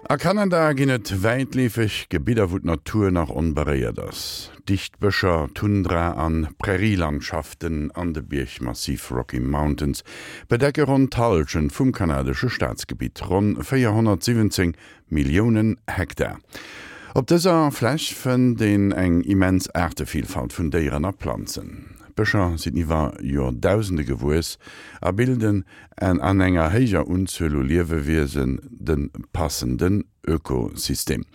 A Kanada ginn et wäitleefeg Gebidder, wou d'Natur nach onberéiert ass. Dicht Bëscher, Tundra an Prärielandschaften an de Biergmassiv Rocky Mountains bedecke ronn d'Hallschent vum kanadesche Staatsgebitt, ronn 417 Milliounen Hektar. Op dëser Fläch fënnt een eng immens Aartevillfalt vun Déieren a Planzen. D'Bëscher sinn iwwer Joerdausende gewuess a bilden An an enger héijer Unzuel u Liewewiesen de passenden Ökosystem.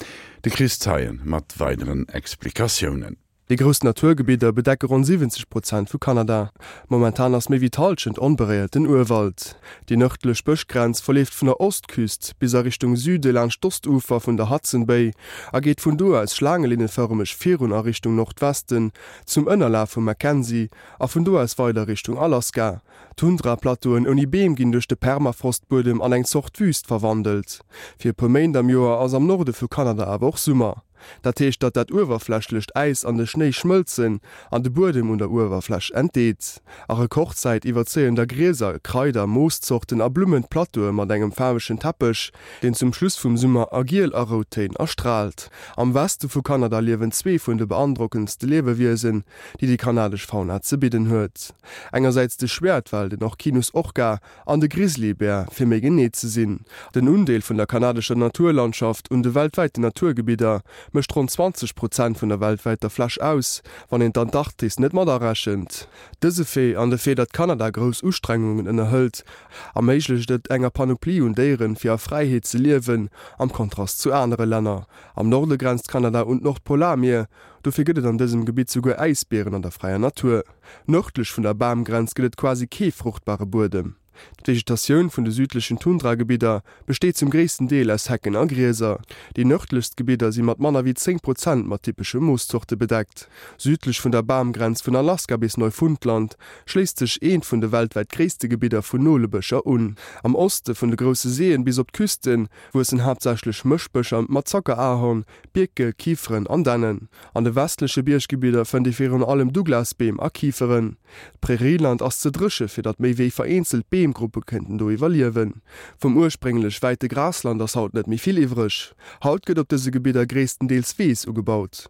De Chris Zeien mat weideren Explikatiounen. Déi grouss Naturgebidder bedecke ronn 70 Prozent vu Kanada. Momentan ass méi wéi d'Hallschent onberéierten Urwald. Déi nërdlech Bëschgrenz verleeft vun der Ostküst bis a Richtung Süde laanscht d'Ostufer vun der Hudson Bay a geet vun do aus schlaangelinnefërmeg virun a Richtung Nordwesten zum Ënnerlaf vum Mackenzie a vun do aus weider Richtung Alaska. D'Tundraplateauen ouni Beem ginn duerch de Permafrostbuedem an eng Zort Wüüst verwandelt. Fir e puer Méint am Joer ass am Norde vu Kanada awer och Summer. Dat heescht, datt dat uewerflächlecht Äis an de Schnéi schmëlzen an de Buedem un der Uewerfläch entdeet. A Rekordzäit iwwerzéien da Grieser, Kraider, Mooszorten a Blummen d'Plateaue mat engem faarwegen Teppech, deen zum Schluss vum Summer a Giel a Routtéin erstraalt. Am Weste vu Kanada liewen zwee vun de beandrockendste Liewewiesen, déi déi kanadesch Fauna ze bidden huet. Engersäits de Schwäertwal, den Orcinus orca, an de Grizzlybär, fir méi genee ze sinn. Den Undeel vun der kanadescher Naturlandschaft un de weltwäiten Naturgebidder mécht ronn 20 Prozent vun der weltwäiter Fläch aus, wann een d'Antarktis net matarechent. Dëse Fait an de Fait, datt Kanada grouss Ustrengungen ënnerhëlt, erméiglecht et enger Panoplie un Déieren, fir a Fräiheet ze liewen, am Kontrast zu anere Länner. Am Norde grenzt Kanada un d'Nordpolarmier, Dofir gëtt et an dësem Gebitt souguer Äisbieren an der fräier Natur. Nërdlech vun der Bamgrenz gëtt et quasi kee fruchtbare Buedem. D'Vegetatioun vun de südlechen Tundragebidder besteet zum gréissten Deel aus Hecken a Grieser. Déi nërdlechst Gebidder si mat manner wéi 10 Prozent mat typesche Mooszorte bedeckt. Südlech vun der Bamgrenz vun Alaska bis Neufundland schléisst sech eent vun de weltwäit gréisste Gebidder vun Nolebëscher un. Am Oste vun de Grousse Séien bis op d'Küste wuessen haaptsächlech Mëschbëscher mat Zackerahorn, Bierke, Kiferen an Dännen. An de westleche Bierggebidder fënnt ee virun allem Douglasbeem a Kiferen. D'Prärieland ass ze dréche fir datt méi wéi vereenzelt Beemgruppe kéinten do iwwerliewen. Vum ursprénglech wäite Grasland ass haut net méi vill iwwreg. Haut gëtt op dëse Gebidder gréisstendeels Weess ugebaut.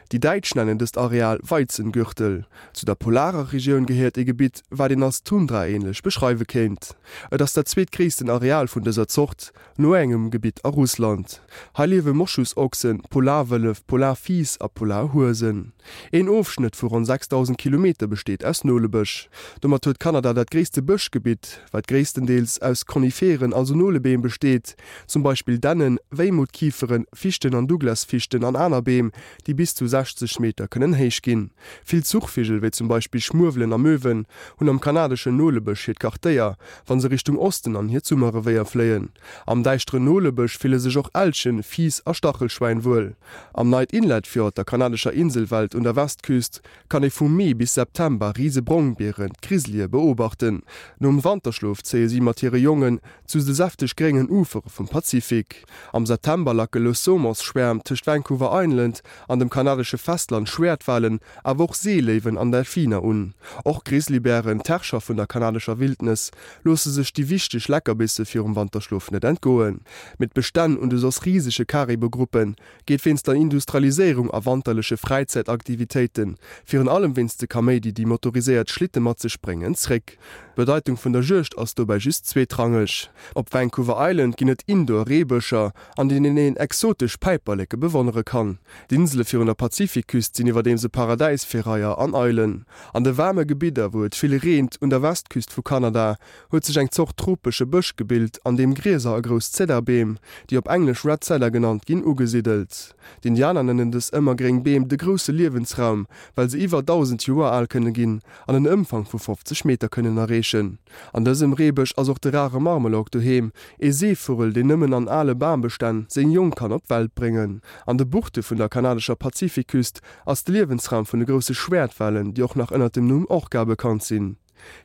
Déi Däitsch nennen dëst Areal Weizengürtel. Zu der polarer Regioun gehéiert ee Gebitt, wat een als Tundra-ähnlech beschreiwe kéint. Et ass dat zweetgréissten Areal vun dëser Zort, No engem Gebitt a Russland. Hei liewe Moschusochsen, Polarwëllef, Polarfiiss a Polarhuesen. Een Ofschnëtt vu ronn 6.000 Kilometer besteet aus Nolebësch. Domat huet Kanada dat gréisste Bëschgebitt, wat gréisstendeels aus Koniferen, also Nolebeem besteet, zum Beispill Dännen, Wéimuttkiferen, Fichten an Douglasfichten an aner Beem, déi bis zu 60 Meter kënnen héich ginn. Vill Zuchvigel, wéi zum Beispill Schmuewelen a Möwen, hunn am kanadeschen Nolebësch hiert Quartéier, wa se Richtung Osten an hiert Summerrevéier fléien. Am däischteren Nolebësch fille sech och Elchen, Fiiss a Stachelschwäin wuel. Am Knight Inlet Fjord, der kanadescher Inselwelt un der Westküst, kann ee vu Mee bis September rise Brongbieren, d'Grizzlye, beobachten. Nom Wanterschlof zéie si mat hire Jongen zu de säfteg gréngen Ufere vum Pazifik. Am September lacke Lousomonsschwäerm tëscht Vancouver Island an dem kanadesche Festland Schwäertwalen, awer och Seeléiwen an Delfiner un. Och Grizzlybären, d'Herrscher vun der kanadescher Wildnes, loosse sech déi wichteg Leckerbisse virum Wanterschlof net entgoen. Mee d'Bestänn un de soss risege Caribou-Gruppe geet wéinst der Industrialiséierung a wanterleche Fräizäitaktivitéiten, virun allem wéinst de Kaméidi déi motoriséiert Schlitte mat sech bréngen, zréck. D'Bedeitung vun der Juegd ass dobäi just zweetrangeg. Op Vancouver Island ginn et Indoor-Reebëscher, an deenen een exotesch Päiperleke bewonnere kann. D'Insele virun der Pazifikküst sinn iwwerdeems e Paradäis fir Reier an Eilen. An de waarme Gebidder, wou et vill reent, un der Westküst vu Kanada, huet sech eng Zort tropesche Bësch gebilt, an deem Grieser a grouss Zeddarbeem, déi op Englesch Red Cedar genannt ginn, ugesidelt. D'Indianer nennen dës ëmmergréng Beem de grousse Liewensraum, well se iwwer 1.000 Joer al kënne ginn an en Ëmfang vu 50 Meter kënnen erreechen. An dësem Reebësch ass och de rare Marmelork doheem, ee Seevugel, deen nëmmen an ale Bambestänn seng Jong kann op d'Welt bréngen. An de Buchte vun der kanadescher Pazifikküst ass de Liewensraum vun de grousse Schwäertwalen, déi och nach ënner dem Numm Orca bekannt sinn.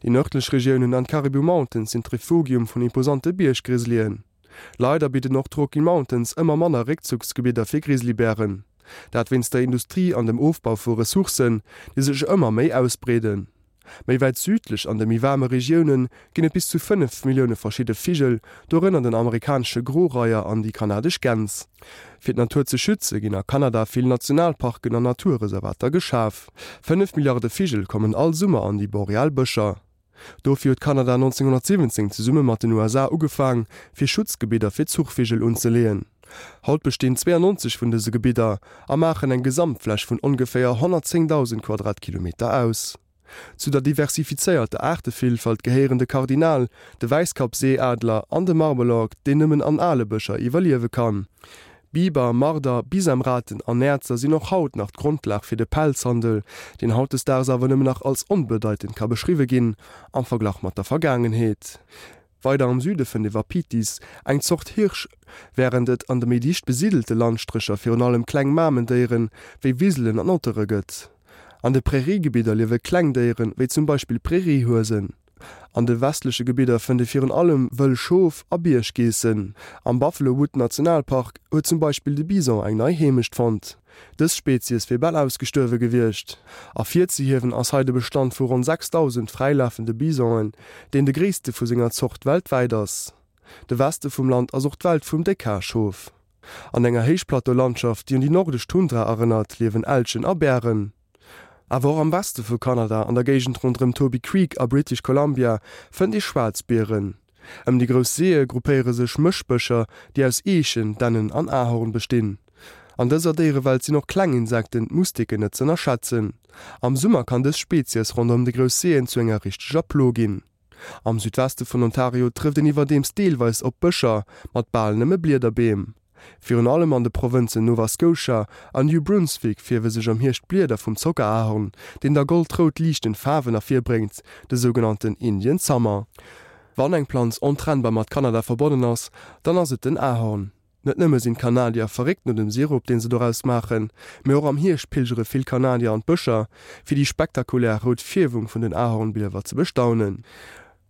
Déi nërdlech Regiounen an d'Caribou Mountains sinn d'Refugium vun imposante Bierggrizzlyen. Leider bidden och d'Rocky Mountains ëmmer manner Réckzugsgebidder fir Grizzlybären. Dat wéinst der Industrie an dem Ofbau vu Ressourcen, déi sech ëmmer méi ausbreeden. Méi wäit südlech an de méi waarme Regioune ginn et bis zu 5 Millioune verschidde Vigel, dorënner den amerikanesche Groreier an déi kanadesch Gäns. Fir d'Natur ze schütze ginn a Kanada vill Nationalparken an Naturreservater geschaf. 5 Milliarde Vigel kommen all Summer an déi boreal Bëscher. Dofir huet Kanada 1917 zesumme mat den USA ugefaang, fir Schutzgebidder fir Zuchvigel unzeleeën. Haut bestinn 92 vun dëse Gebidder a maachen eng Gesamtfläch vun ongeféier 110.000 Quadratkilometer aus. Zu der diversifizéierter Aartevillfalt gehéieren de Kardinal, de Wäisskappseeadler an de Marmelork, deen nëmmen an ale Bëscher iwwerliewe kann. Biber, Marder, Bisamraten an Näerzer sinn och haut nach d'Grondlag fir de Pelzhandel, deen hautdesdaags awer nëmmen nach als onbedeitend ka beschriwwe ginn am Verglach mat der Vergaangenheet. Weider am Süde fënnt ee Wapitis, eng Zort Hirsch, wärend et an de méi dicht besidelte Landstrécher virun allem kleng Mamendéiere wéi Wiselen an Ottere gëtt. An de Präriegebidder liewe kleng Déiere wéi zum Beispill Präriehuesen. An de westleche Gebidder fënnt ee virun allem wëll Schof a Bierggeessen. Am Buffalo Wood Nationalpark huet zum Beispill de Bison eng nei Heemecht fonnt. Dës Spezies wier bal ausgestuerwe gewiescht. Ervirzehiewen ass hei de Bestand vu ronn 6.000 fräilafende Bisonen, deen de gréisste vu senger Zort weltwäit ass. De Weste vum Land ass och d'Welt vum Déckhaar-Schof. An enger Héichplateau-Landschaft, déi un déi nordesch Tundra erënnert, liewen Elchen a Bären. Awer och am Weste vu Kanada, an der Géigend ronderëm Toby Creek a British Columbia, fënnt ee Schwaarzbieren. Ëm déi grouss Seeë gruppéiere sech Mëschbëscher, déi aus Eechen, Dännen an Ahorn bestinn. An dëser Déierewelt sinn och kleng Insekten, d'Mustiken, net z'ënnerschätzen. Am Summer kann dës Spezies ronderëm de grouss Seeën zu enger richteger Plo ginn. Am Südweste vun Ontario trëfft een iwwerdeems deelweis op Bëscher mat bal nëmme Bliederbeem. Virun allem an de Provënzen Nova Scotia an New Brunswick fierwe sech am Hierscht d'Blieder vum Zockerahorn, deen da goldrout liichtend Faarwen ervirbréngt, de sougenannten Indian Summer. Wann eng Planz ontrennbar mat Kanada verbonnen ass, dann ass et den Ahorn. Net nëmme sinn d'Kanadier verréckt no dem Sirup, deen se doraus maachen, mee och am Hierscht pilgere vill Kanadier an d'Bëscher, fir déi spektakulär rout Fierwung vun den Ahornbliewer ze bestaunen.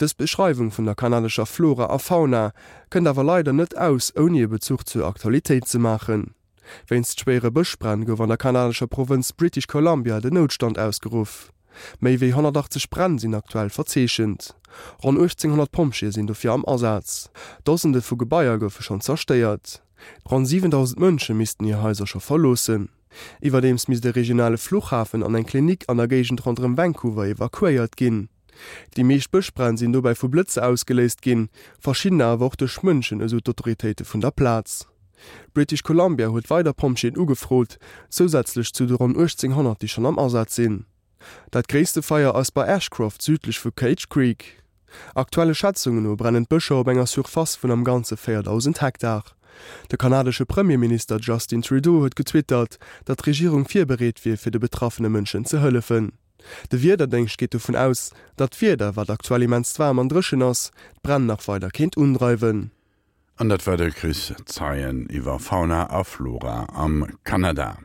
Dës Beschreiwung vun der kanadescher Flora a Fauna kënnt awer leider net aus, ouni e Bezuch zur Aktualitéit ze maachen. Wéinst schwéiere Bëschbränn gouf an der kanadescher Provënz British Columbia den Noutstand ausgeruff. Méi wéi 180 Bränn sinn aktuell verzeechent. Ronn 1.800 Pompjeeë sinn dofir am Asaz. Dosende vu Gebaier goufe schonn zerstéiert. Ronn 7.000 Mënsche missten hir Haiser scho verloossen. Iwwerdeems misst e regionale Fluchhafen an eng Klinik an der Géigend ronderëm Vancouver evakuéiert ginn. Déi meescht Bëschbränn sinn dobäi vu Blëtzer ausgeléist ginn, verschiddener awer och duerch Mënschen, esou d'Autoritéite vun der Plaz. British Columbia huet weider Pompjeeën ugefrot, zousätzlech zu de ronn 1.800, déi schonn am Asaz sinn. Dat gréisste Feier ass bei Ashcroft südlech vu Cage Creek. Aktuelle Schätzungen no brennen d'Bëscher op enger Surface vun am Ganze 4.000 Hektar. De kanadesche Premierminister Justin Trudeau huet getwittert, datt d'Regierung virbereet wier, fir de betraffene Mënschen ze hëllefen. De Wiederdéngscht geet dovun aus, datt d'Wieder, wat aktuell immens waarm an dréchen ass, d'Bränn nach weider kéint undreiwen. An dat war de Chris Zeien iwwer Fauna a Flora am Kanada.